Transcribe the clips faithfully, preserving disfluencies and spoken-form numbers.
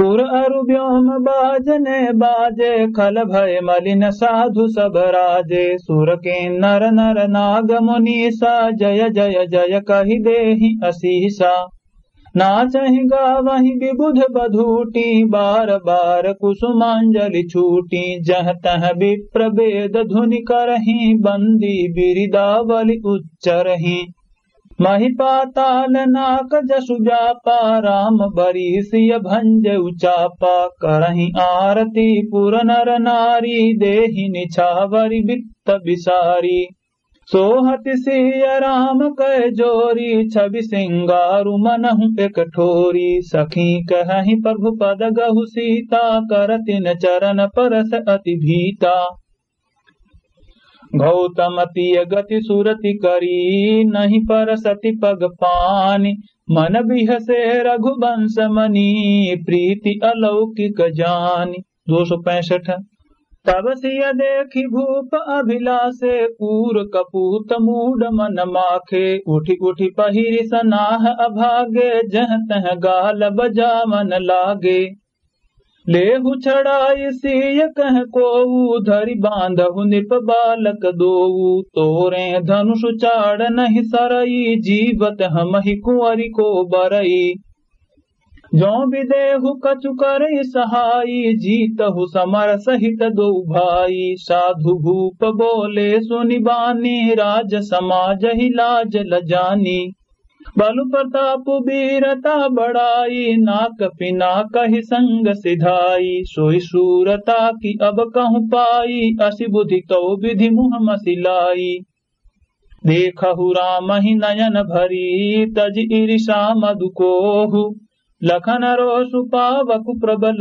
सुर अरु व्योम बाजने बाजे, खल भय मलिन साधु सब राजे। सुर किन्नर नर नाग मुनीसा, जय जय जय कहि देहि असीसा। नाचहि गावहि विबुध बधूटी, बार बार कुसुमांजलि छूटी। जह तह विप्र वेद धुनि करहि, बंदी बिरिदावलि उच्चरहि। महि पाताल नाक जसु व्यापा, राम बरी सिय भंजउ चापा। करहि आरती पुर नर नारी, देहि निछावरि वित्त बिसारी। सोहति सिय राम कय जोरी, छवि सिंगारु मनहु एक ठोरी। सखी कहहि प्रभु पद गहु सीता, करतिन चरण परस अति भीता। गौतम तिय गति सुरति करी, नहीं परसति पग पानी। मन बिहसे रघुवंश मनी, प्रीति अलौकिक जानी। दो सौ पैंसठ। तब सिय देखि भूप अभिलाषे, कूर कपूत मूड मन माखे। उठि उठि पहिरि सनाह अभागे, जह तह गाल बजावन लागे। लेहु छड़ाई सिय कह कोऊ, धरि बांधहु नृप बालक दोऊ। तोरे धनुष चाड़ नहीं सरई, जीवत हमहि कुंवरि को बरई। जो विदेहु कछु करइ सहाई, जीतहु समर सहित दो भाई। साधु भूप बोले सुनि बानी, राज समाजहि लाज लजानी। बल प्रताप वीरता बड़ाई, नाक पिनाकहि संग सिधाई। सोई सूरता कि अब कहु पाई, असि बुद्धि तौ विधि मुँह मसि लाई। देखहु रामहि नयन भरी, तजि ईरिषा मदु कोहु। लखन रोषु पावकु प्रबल,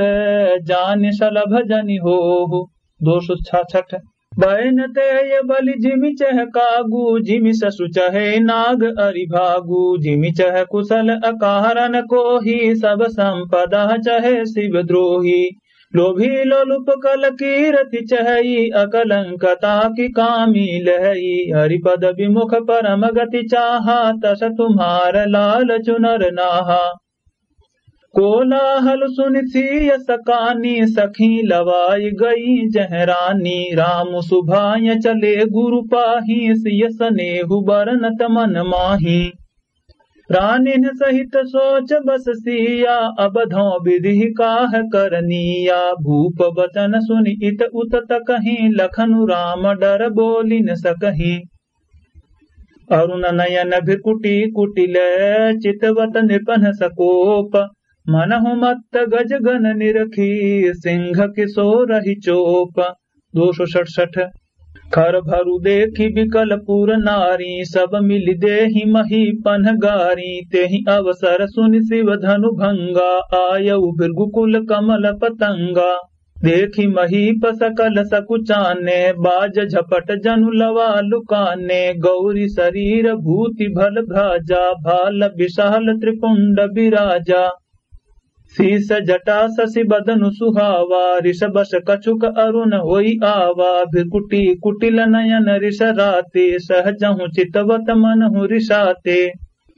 जानि सलभ जनि होहु। दो सौ छाछठ। बैन तेय बलि जिमि चह कागु, जिमि ससु चहे नाग अरि भागु। जिमि चह कुसल अकारन कोही, सब संपदा चहे शिव द्रोही। लोभी लोलुप कल कीरति चहई, अकलंकता कि कामी लहई। हरिपद विमुख परम गति चाहा, तस तुम्हार लालचु नर नाहा। कोलाहल सुनि सिय सकानी, सखी लवाई गई जह रानी। राम सुभाय चले गुरु पाही, सिय सनेहु बरनत मन माही। रानिन सहित सोच बस सिया, अब धौं विधि काह करनिया। भूप बचन सुनि इत उत तकहीं, लखनु राम डर बोलि न सकहीं। अरुण नयन भृकुटी कुटिल, चितवत नृपन सकोप। मनहु मत्त गज गन निरखी, सिंह किसोरहि चोप। दो सौ सड़सठ। खर भरु देखि बिकल पुर नारी, सब मिलि देहि महीपन गारी। तेहि अवसर सुनि शिव धनु भंगा, आयउ भृगु कुल कमल पतंगा। देखि महीप सकल सकुचाने, बाज झपट जनु लवा लुकाने। गौरी सरीर भूति भल भ्राजा, भाल बिसाल त्रिपुंड बिराजा। सीस जटा ससि बदनु सुहावा, रिस बस कछुक अरुन होइ आवा। भृकुटी कुटिल नयन रिस राते, सहजहु चितवत मनहु रिसाते।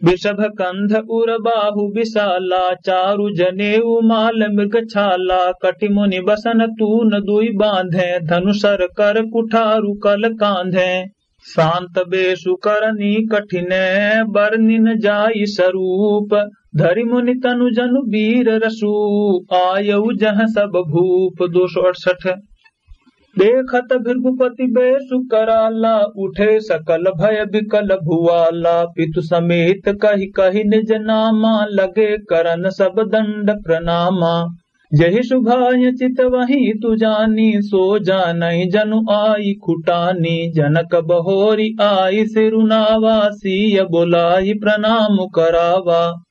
वृषभ कंध उर बाहु बिसाला, चारु जनेउ माल मृग छाला। कटि मुनि बसन तून दुइ बाँधे, धनु सर कर कुठारु कल काँधे। शांत बेसु करनी कठिन, बरनिन जाई सरूप। धरि मुनि तनु जनु वीर रसु, आयउ जह सब भूप। दो सौ अड़सठ। देखत भृगुपति बेसु कराला, उठे सकल भय बिकल भुआला। पितु समेत कहि कहि निज नामा, लगे करन सब दंड प्रणामा। जहि सुभाय चितवहिं तु जानी, सो जानइ जनु आइ खुटानी। जनक बहोरि आइ सिरुनावा, सीय बोलाइ प्रणाम करावा।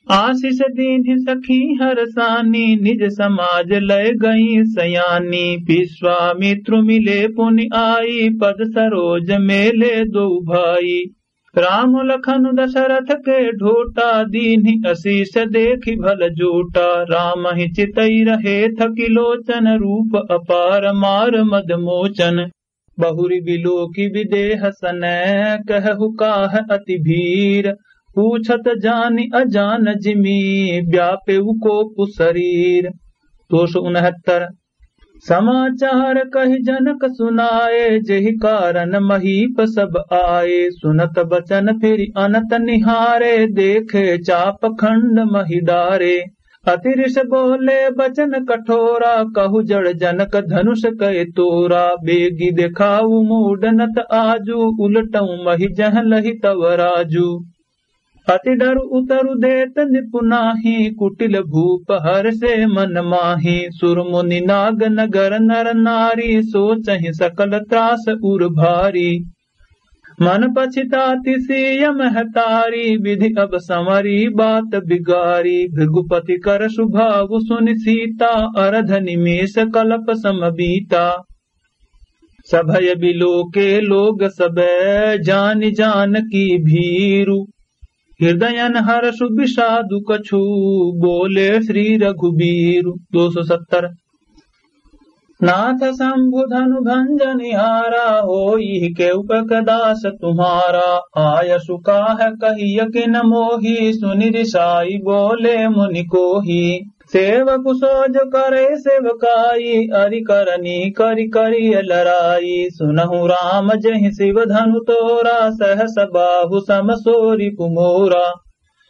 आसिस दीन्हि सखी हरसानी, निज समाज लय गई सयानी। विश्वामित्रु मिले पुनि आई, पद सरोज मेले दोउ भाई। राम लखन दशरथ के ढोटा, दीन्हि असीस देखि भल जोटा। रामहि चितइ रहे थकि लोचन, रूप अपार मार मद मोचन। बहुरि बिलोकि विदेह सनय, कहहु काह अति भीर। पूछत जानि अजान जिमि, व्यापेउ कोपु सरीर। दो सौ उनहत्तर। समाचार कहि जनक सुनाए, जेहि कारण महीप सब आए। सुनत बचन फिरि अनत निहारे, देखे चाप खंड महि डारे। अति रिस बोले बचन कठोरा, कहु जड़ जनक धनुष कय तोरा। बेगि देखाउ मूड नत आजु, उलटउ महि जह लहि तव राजु। अति डरु उतरु देत नृपु नाहीं, कुटिल भूप हरषे मन माहीं। सुर मुनि नाग नगर नर नारी, सोचहिं सकल त्रास उर भारी। मन पछिताति सिय महतारी, विधि अब सँवरी बात बिगारी। भृगुपति कर सुभाव सुनि सीता, अरध निमेष कलप सम बीता। सभय बिलोके लोग सबे, जानि जानकी भीरु। हृदयन हरषु बिषादु कछु, बोले श्री रघुबीरु। दो सौ सत्तर। नाथ शंभु धनु भंजनिहारा, होई केउ कक दास तुम्हारा। आयसु काह कहिय किन मोही, सुनि रिसाई बोले मुनि कोही। सेवकु सो जो करे सेवकाई, अरि करनी करि करिय लराई। सुनहु राम जेहि सिव धनु तोरा, सहस बाहु सम सो रिपु मोरा।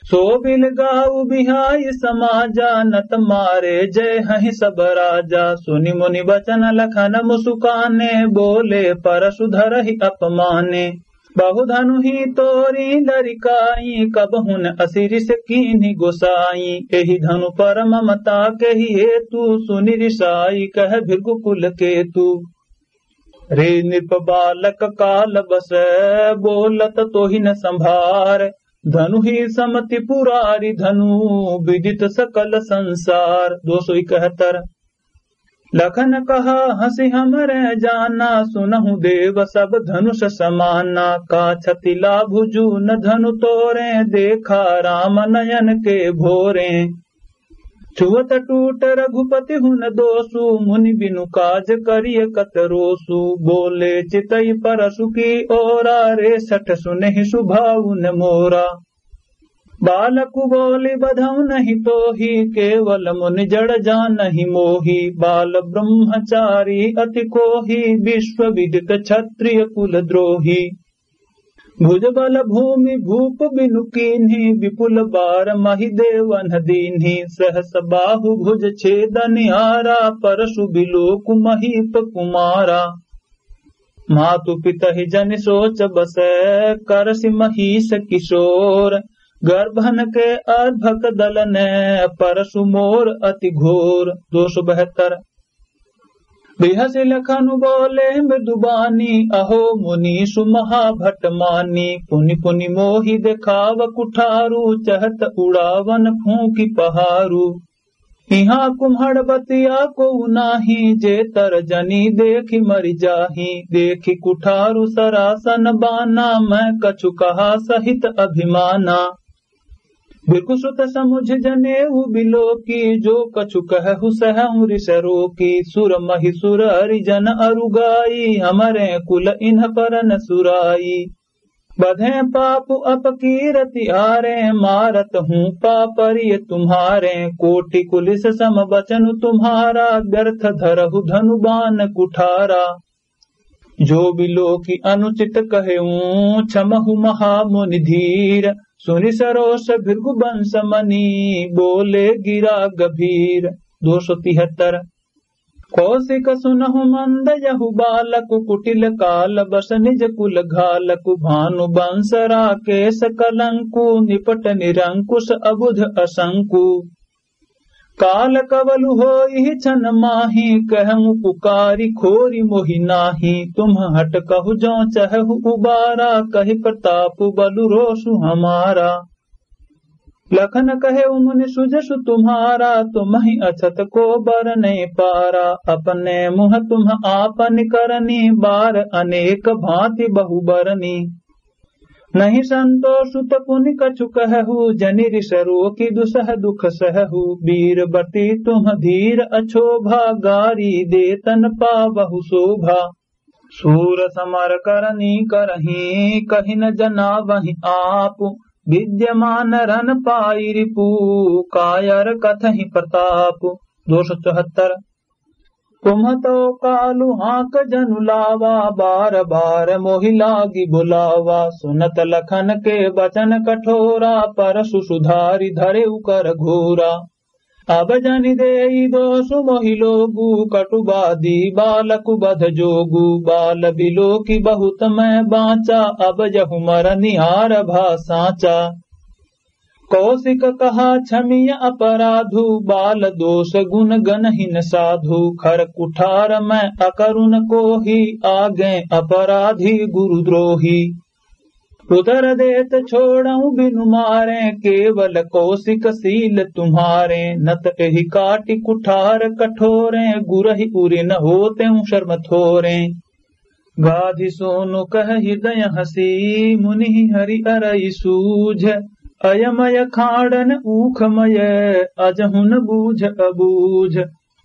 सो बिल गाउ बिहाइ समाजा, नत मारे जय हहिं सब राजा। सुनि मुनि बचन लखन मुसुकाने, बोले परसु धरहि अपमाने। बहु धनु ही तोरी लरिकाई, कबहुन असि रिस कीन्हि गोसाई। एहि धनु पर ममता केहि हेतु, सुनि रिसाई कह भृगु कुल केतु। रे नृप बालक काल बस, बोलत तोहि न संभार। धनु ही समति पुरारी धनु, विदित सकल संसार। दो सौ इकहत्तर। लखन कहा हँसि हमरे जाना, सुनहु देव सब धनुष समाना। का क्षति लाभु जून धनु तोरे, देखा राम नयन के भोरे। छुअत टूट रघुपति हुन दोसु, मुनि बिनु काज करिय कत रोसु। बोले चितई परसु की ओरा, रे सठ सुनहि सुभावुन मोरा। बालकु बोलि बधउ नहीं तोही, केवल मुनि जड़ जानहि मोही। बाल ब्रह्मचारी अति कोही, विश्व विदित क्षत्रिय कुल द्रोही। भुज बल भूमि भूप बिनु कीन्ही, विपुल बार महि देवन दीन्ही। सहस बाहु भुज छेदनिहारा, परसु बिलोकु महीप कुमारा। मातु पितहि जनि सोच बस, करसि महीस किशोर। गर्भन के अर्भक दलन, परसु मोर अति घोर। दो सौ बहत्तर। बिहसि लखनु बोले मृदु बानी, अहो मुनीसु महाभट मानी। पुनि पुनि मोहि देखाव कुठारु, चहत उड़ावन फूँकि पहारु। इहाँ कुम्हड़ बतिया कोउ नाहीं, जे तर जनी देखि मरि जाहीं। देखि कुठारु सरासन बाना, मैं कछु कहा सहित अभिमाना। भृगुसुत समुझ जनेऊ बिलोकी, जो कछु कहहु सहहु रिस रोकी। सुर महि सुर अरि जन अरु गाई, हमरे कुल इन्ह पर न सुराई। बधें पापु अपकीरति आरें, मारत हूँ पापरिय तुम्हारें। कोटि कुलिस सम बचनु तुम्हारा, व्यर्थ धरहु धनु बान कुठारा। जो बिलोकि अनुचित कहेऊँ, क्षमहु महामुनि धीर। सुनि सरोष भृगु बंस मनि, बोले गिरा गभीर। दो सौ तिहत्तर। कौशिक सुनहु मंद यहु बालकु, कुटिल काल बस निज कुल घालकु। भानु बंस राकेश कलंकु, निपट निरंकुश अबुध असंकु। काल कवलु होइहि छन माही, कहउँ पुकारि खोरि मोहि नाही। तुम्ह हट कहु जौं चहहु उबारा, कहि प्रताप बलु रोषु हमारा। लखन कहेउ मुनि सुजसु तुम्हारा, तुम्हि अछत को बरनैं पारा। अपने मुँह तुम्ह आपनि करनी, बार अनेक भाँति बहु बरनी। नहीं संतोषु त पुनि कछु कहहु, जनि रिस रोकि दुसह दुख सहहु। वीर बति तुम्ह धीर अछोभा, गारी देतन पावहु सोभा। सूर समर करनी करहीं, कहि न जनावहिं आपु। विद्यमान रन पाइ रिपु, कायर कथहिं प्रतापु। दो सौ चौहत्तर। तुम तो कालु हाँक जनु लावा, बार बार मोहि लागि बुलावा। सुनत लखन के बचन कठोरा, परसु सुधारि धरे उकर घोरा। अब जनि देई दोसु मोहि लोगु, कटुबादी बालकु बध जोगु। बाल बिलोकि बहुत मैं बाँचा, अब यहु मर निहारबा साँचा। कौशिक कहा क्षमिय अपराधु, बाल दोष गुन गनहिन साधु। खर कुठार मैं अकरुन कोही, आगे अपराधी गुरुद्रोही। उतर देत छोड़उँ बिनु मारें, केवल कौशिक शील तुम्हारें। नत एहि काटि कुठार कठोरें, गुरहि उरिन होतेउँ शर्म थोरें। गाधि सोनु कह हृदय हँसी, मुनि हरि अरइ सूझ। अयमय खाँड़न ऊखमय, अजहुन बूझ अबूझ।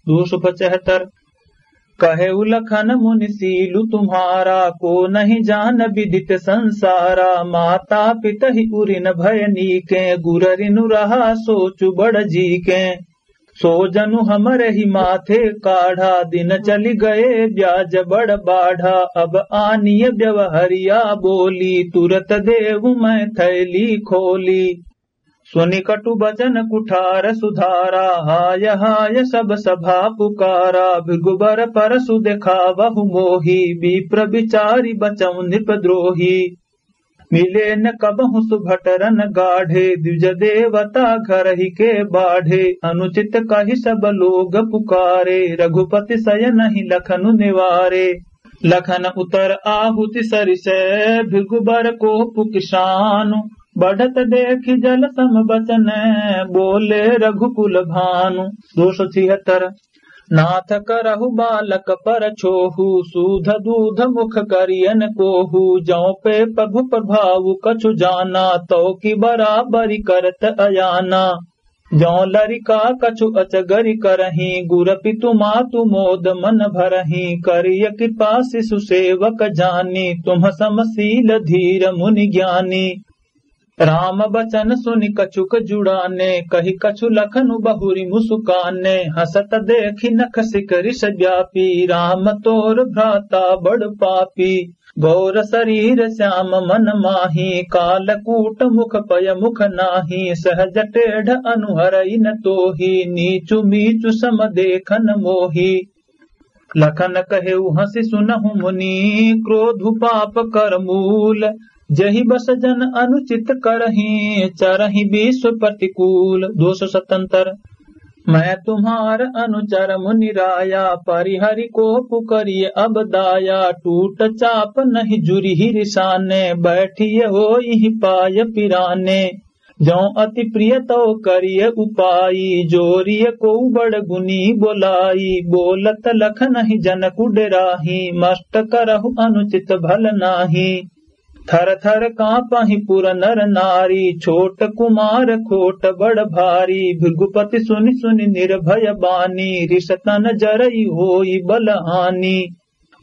दो सौ पचहत्तर। कहेउ लखन मुनि शीलु तुम्हारा, को नहीं जान विदित संसारा। माता पितहि उरिन भय नीकें, गुररिनु रहा सोचु बड़ जीकें। सो जनु हमरहि माथे काढ़ा, दिन चलि गए ब्याज बड़ बाढ़ा। अब आनिय व्यवहरिया बोली, तुरत देउ मैं थैली खोली। सुनि कटु बचन कुठार सुधारा, हाय हाय सब सभा पुकारा। भृगु बर परसु देखावहु मोही, विप्र बिचारि बचउँ नृप द्रोही। मिले न कबहुँ सुभटरन गाढ़े, द्विज देवता घरहि के बाढ़े। अनुचित कहि सब लोग पुकारे, रघुपति सयनहि लखनु निवारे। लखन उतर आहुति सरिसै, भृगु बर कोपु किसानु। बढ़त देखि जल सम बचन, बोले रघुकुल भानु। दो सौ छिहत्तर। नाथ करहु बालक पर छोहु, सूध दूध मुख करियन कोहु। जौं पे प्रभु प्रभाव कछु जाना, तौ कि बराबरि करत अयाना। जौं लरिका कछु अचगरि करहीं, गुर पितु मातु मोद मन भरहीं। करिय कृपा शिशु सेवक जानी, तुम सम शील धीर मुनि ज्ञानी। राम बचन सुनि कछुक जुड़ाने, कहि कछु लखनु बहुरि मुसुकाने। हँसत देखि नख सिख रिस व्यापी, राम तोर भ्राता बड़ पापी। गौर सरीर श्याम मन माही, कालकूट मुख पय मुख नाही। सहज टेढ़ अनु हरइ न तोही, नीचु मीचु सम देखन मोही। लखन कहेउ हँसि सुनहु मुनि, क्रोधु पाप कर मूल। जहि बस जन अनुचित करहीं, चरहिं विश्व प्रतिकूल। दो सौ सतहत्तर। मैं तुम्हार अनुचर मुनि राया, परिहरि कोपु करिय अब दाया। टूट चाप नहीं जुरिहि रिसाने, बैठिय होइहि पाय पिराने। जौं अति प्रिय तौ करिय उपाई, जोरिय कोउ बड़ गुनी बोलाई। बोलत लखनहि जनकु डेराही, मस्त करहु अनुचित भल नाही। थर थर काँपहि पुर नर नारी, छोट कुमार खोट बड़ भारी। भृगुपति सुनि सुनि निर्भय बानी, रिस तन जरई होई बल हानि।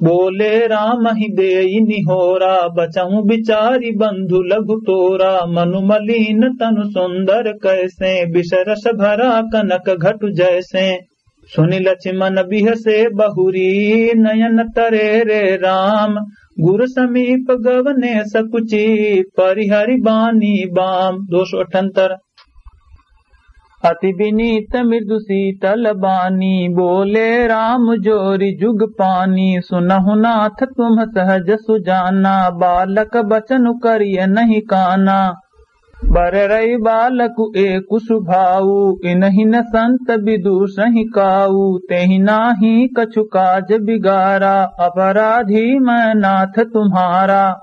बोले रामहि देई निहोरा, बचहु बिचारि बंधु लघु तोरा। मनु मलीन तनु सुंदर कैसें, बिसरस भरा कनक घटु जैसें। सुनि लछिमन बिहसे बहुरी, नयन तरे रे राम। गुर समीप गवने सकुचि, परिहरि बानी बाम। दो सौ अठहत्तर। अति बिनीत मृदु शीतल बानी, बोले राम जोरि जुग पानी। सुनहु नाथ तुम सहज सुजाना, बालक बचन करिय नहीं काना। बर रई बालकु एकु सुभाऊ, इनहिं न संत विदुषहिं काऊ। तेहि नाहीं कछु काज बिगारा, अपराधी मैं नाथ तुम्हारा।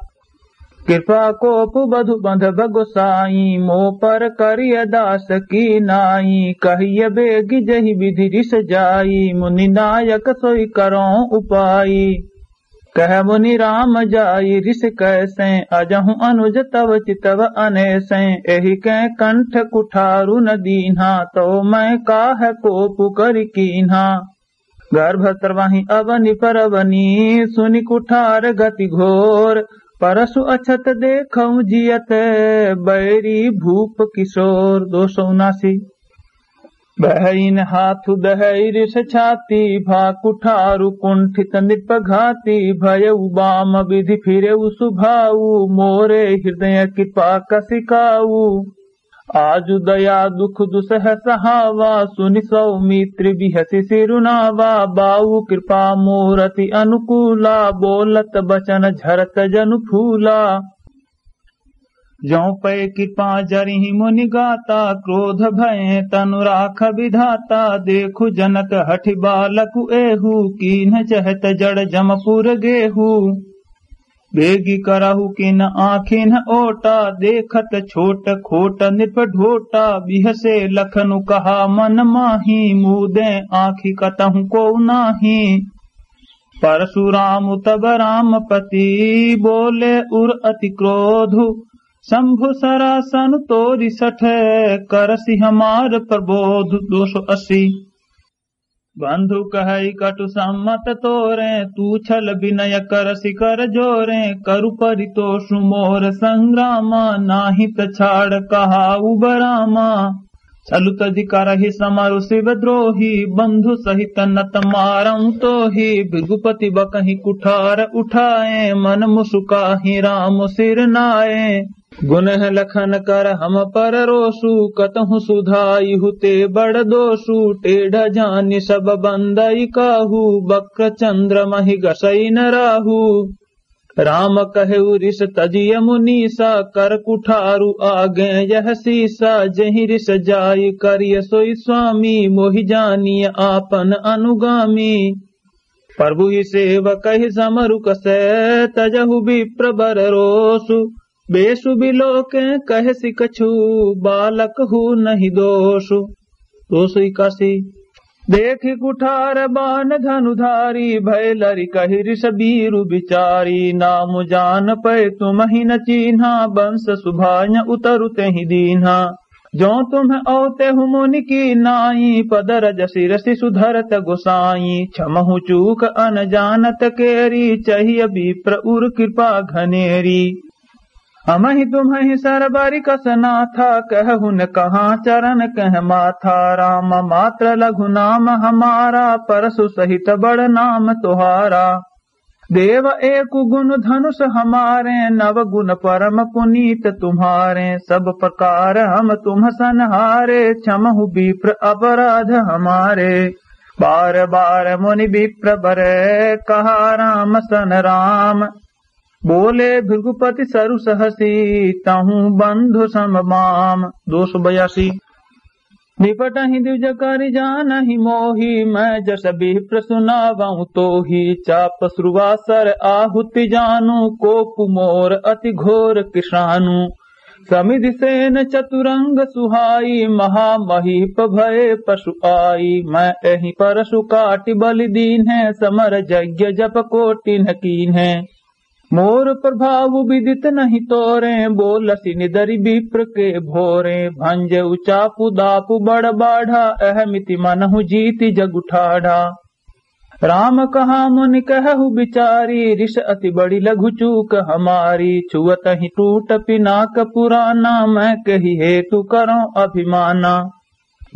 कृपा कोप बधु बंधब गोसाई, मो पर करिय दास की नाई। कहिय बेगि जहि विधि रिस जाई, मुनि नायक सोई करौं उपाई। कह मुनि राम जाई रिस कैसें, अजहु अनुज तव चितव अनेसें। एहि कै कंठ कुठारु न दीन्हा, तौ मैं काह कोपु करि कीन्हा। गर्भ स्रवहि अवनि परवनि, सुनि कुठार गति घोर। परसु अछत देखौं जियत, बैरी भूप किशोर। दो सौ उनासी। बहइन हाथु दहइ रिस छाती, भा कुठारु कुंठित नृप घाती। भयउ बाम बिधि फिरेउ सुभाउ, मोरे हृदय कृपा कसिकाउ। आजु दया दुख दुसह सहावा, सुनि सौमित्रि बिहसि सिरुनावा। बाउ कृपा मोर अति अनुकूला, बोलत बचन झरत जनु फूला। जौं पै कृपा जरिहि मुनि गाता, क्रोध भय तनु राख विधाता। देखु जनक हठि बालकु एहू, कीन्ह चहत जड़ जमपुर गेहू। बेगि करहु किन आँखिन्ह ओटा, देखत छोट खोट नृप ढोटा। बिहसे लखनु कहा मन माही, मूदे आँखि कतहु को नाही। परशुराम तब रामपति, बोले उर अति क्रोधु। शंभु सरासन तोरि सठ, करसि हमार प्रबोध। दो सौ अस्सी। बंधु कहइ कटु सम्मत तोरे, तू छल विनय करसि कर जोरे। करु परितोषु मोर संग्रामा, नाहि त छाड़ कहाउ बरामा। छलु तजि करहि समरु शिव द्रोही, बंधु सहित नत मारउ तोही। भृगुपति बकहि कुठार उठाए, मन मुसुकाहि राम सिर नाए। गुनह लखन कर हम पर रोसु, कतहु सुधाइहु ते बड़ दोसु। टेढ़ जानि सब बंदइ काहू, वक्र चंद्र महि गसइ न राहू। राम कहेउ रिस तजिय मुनीसा, कर कुठारु आगे यह सीसा। जहि रिस जाइ करिय सोइ स्वामी, मोहि जानिय आपन अनुगामी। प्रभु ही सेवकहि समरु कसे, तजहु विप्र बर रोसु। बेसु बिलोके कहसि कछु, बालक हू नहीं दोसु। दो सौ इक्यासी। देखि कुठार बान धनुधारी, भय लरि कहि रिस बीरु बिचारी। नाम जान पै तुमहि न चीन्हा, बंस सुभाय उतरु तेहि दीन्हा। जौं तुम्ह औतेहु मुनि की नाई, पद रज सिरसि सुधरत गोसाई। क्षमहु चूक अनजानत केरी, चहिय विप्र उर कृपा घनेरी। हमहि तुम्हि सरबरि कस नाथा, कहहु न कहाँ चरण कह माथा। राम मात्र लघु नाम हमारा, परसु सहित बड़ नाम तुहारा। देव एकु गुन धनुष हमारे, नव गुन परम पुनीत तुम्हारे। सब प्रकार हम तुम संहारे, क्षमहु विप्र अपराध हमारे। बार बार मुनि विप्र बरे, कहा राम सन राम। बोले भृगुपति सरु सहसि, तहु बंधु सम बाम। दो सौ बयासी। निपटहि द्विज करि जानहि मोहि, मैं जस विप्र सुनावउ तोहि। चाप सुरवासर आहुति जानू, कोप मोर अति घोर किसानू। समिधि सेन चतुरंग सुहाई, महामहीप भए पशु आई। मैं एहि परसु काटि बलि दीन्हे, समर यज्ञ जप कोटि न कीन्हे। मोर प्रभाव विदित नहीं तोरे, बोलसि निदरि विप्र के भोरे। भंजउ चापु दापु बड़ बाढ़ा, अहमिति मनहु जीति जगु ठाढ़ा। राम कहा मुनि कहहु बिचारी, रिस अति बड़ी लघु चूक हमारी। छुअतहि टूट पिनाक पुराना, मैं केहि हेतु करौं अभिमाना।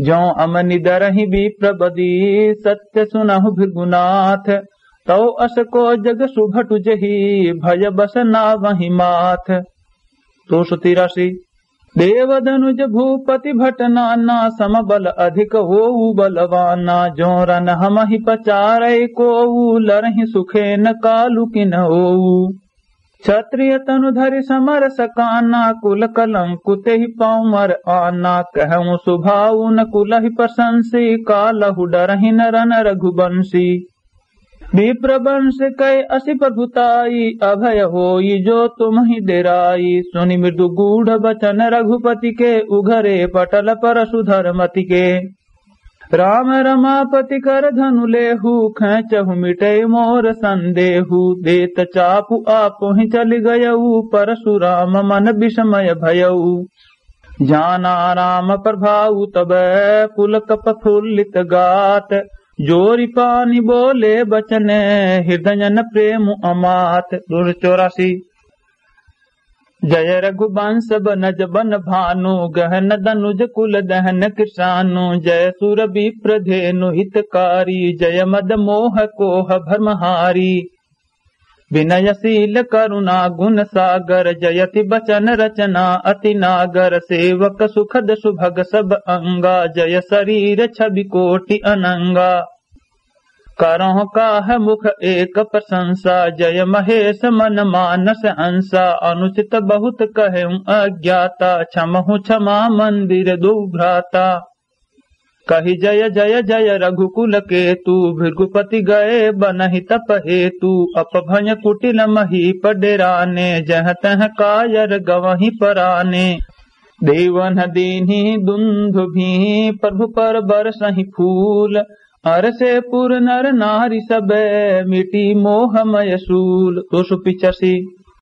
जौं हम निदरहि विप्र बदी, सत्य सुनहु भृगुनाथ। तौ अस को जग सुभटु जही, भय बस नावहि माथ। दो सौ तिरासी। देव धनुज भूपति भट नाना, सम बल अधिक होऊ बलवाना। जौं रन हमहि पचारै कोऊ, लरहि सुखेन कालु किन होऊ। क्षत्रिय तनु धरि समरस काना, कुल कलंकु तेहि पाँव मर आना। कहउँ सुभाउ न कुलहि प्रशंसी, कालहु डरहिं न रन रघुबंसी। विप्र वंश कै असि प्रभुताई, अभय होई जो तुमहि डेराई। सुनि मृदु गूढ़ बचन रघुपति के, उघरे पटल परसु धरमति के। राम रमापति कर धनु लेहु, खेंचहु मिटै मोर संदेहु। देत चापु आपुहि चलि गयउ, परसुराम मन बिसमय भयउ। जाना राम प्रभाउ तब पुलक प्रफुल्लित गात, जोरि पानि बोले बचन हृदयन प्रेम अमात। दो सौ चौरासी। जय रघुवंश बनज बन भानु, गहन दनुज कुल दहन कृशानु। जय सुर विप्र धेनु हितकारी, जय मद मोह कोह भ्रमहारी। विनयशील करुणा गुण सागर, जयति बचन रचना अति नागर। सेवक सुखद सुभग सब अंगा, जय शरीर छवि कोटि अनंगा। करहु काह मुख एक प्रशंसा, जय महेश मन मानस अंसा। अनुचित बहुत कहेउ अज्ञाता, क्षमहु क्षमा मंदिर दो भ्राता। कहि जय जय जय रघुकुल केतु, भृगुपति गए बनहि तप हेतु। अपभय कुटिल महीप डेराने, जह तह कायर गवहि पराने। देवन दीन्हि दुंदु भी प्रभु पर बरसहि फूल। अरसे पुर नर नारी सबे, मिटी मोह मय सूल। तो सो पिचासी